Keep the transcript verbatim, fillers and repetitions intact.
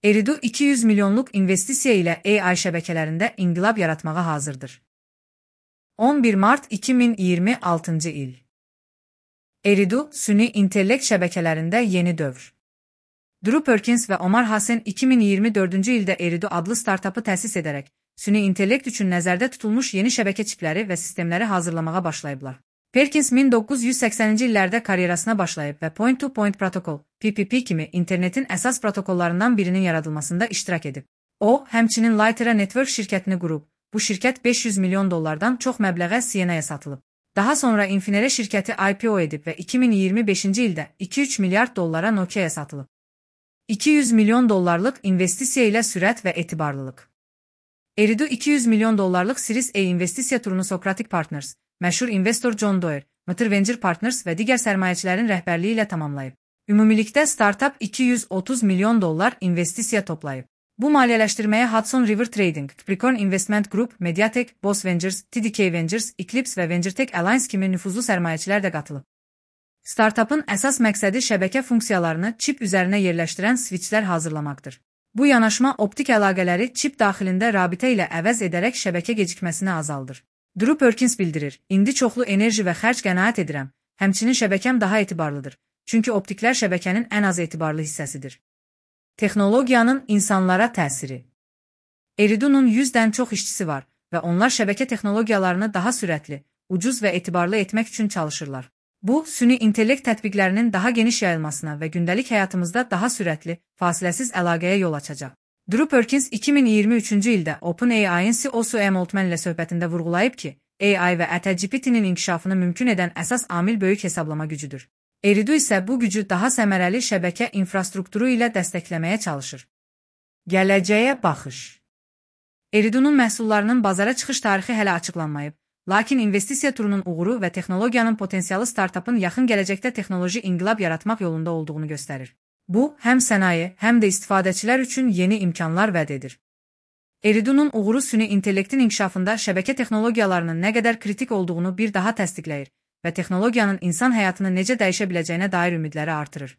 Eridu iki yüz milyonluq investisiya ilə A I şəbəkələrində inqilab yaratmağa hazırdır. on bir mart iki min iyirmi altıncı il. Eridu, süni intellekt şəbəkələrində yeni dövr. Drew Perkins və Omar Hassen iki min iyirmi dördüncü ildə Eridu adlı startapı təsis edərək, süni intellekt üçün nəzərdə tutulmuş yeni şəbəkə çipləri və sistemləri hazırlamağa başlayıblar. Perkins min doqquz yüz səksəninci illərdə karyerasına başlayıb və Point-to-Point protokol, P P P kimi internetin əsas protokollarından birinin yaradılmasında iştirak edib. O, həmçinin Lightera Network şirkətini qurub. Bu şirkət beş yüz milyon dollardan çox məbləğə C N A-ya satılıb. Daha sonra Infinera şirkəti I P O edib və iki min iyirmi beşinci ildə iki üç milyard dollara Nokia'ya satılıb. iki yüz milyon dollarlıq investisiya ilə sürət və etibarlılıq. Eridu iki yüz milyon dollarlıq Series A investisiya turunu Socratic Partners, məşhur investor John Doerr, Mutter Venture Partners və digər sərmayəçilərin rəhbərliyi ilə tamamlayıb. Ümumilikdə startup iki yüz otuz milyon dollar investisiya toplayıb. Bu maliyyələşdirməyə Hudson River Trading, Capricorn Investment Group, Mediatek, Boss Ventures, T D K Ventures, Eclipse və VentureTech Alliance kimi nüfuzlu sərmayəçilər də qatılıb. Startupın əsas məqsədi şəbəkə funksiyalarını çip üzərinə yerləşdirən switchlər hazırlamaqdır. Bu yanaşma optik əlaqələri çip daxilində rabitə ilə əvəz edərək şəbəkə gecikməsini azaldır. Drew Perkins bildirir, indi çoxlu enerji və xərc qənaət edirəm, həmçinin şəbəkəm daha etibarlıdır, çünki optiklər şəbəkənin ən az etibarlı hissəsidir. Texnologiyanın insanlara təsiri. Eridu'nun yüzdən çox işçisi var və onlar şəbəkə texnologiyalarını daha sürətli, ucuz və etibarlı etmək üçün çalışırlar. Bu, süni intellekt tətbiqlərinin daha geniş yayılmasına və gündəlik həyatımızda daha sürətli, fasiləsiz əlaqəyə yol açacaq. Drew Perkins iki min iyirmi üçüncü ildə OpenAI-ın C E O Sam Altman ilə söhbətində vurğulayıb ki, A I və ChatGPT-nin inkişafını mümkün edən əsas amil böyük hesablama gücüdür. Eridu isə bu gücü daha səmərəli şəbəkə infrastrukturu ilə dəstəkləməyə çalışır. Gələcəyə baxış. Eridu'nun məhsullarının bazara çıxış tarixi hələ açıqlanmayıb, lakin investisiya turunun uğuru və texnologiyanın potensialı startupın yaxın gələcəkdə texnoloji inqilab yaratmaq yolunda olduğunu göstərir. Bu, həm sənaye, həm də istifadəçilər üçün yeni imkanlar vəd edir. Eridu'nun uğuru süni intellektin inkişafında şəbəkə texnologiyalarının nə qədər kritik olduğunu bir daha təsdiqləyir və texnologiyanın insan həyatını necə dəyişə biləcəyinə dair ümidləri artırır.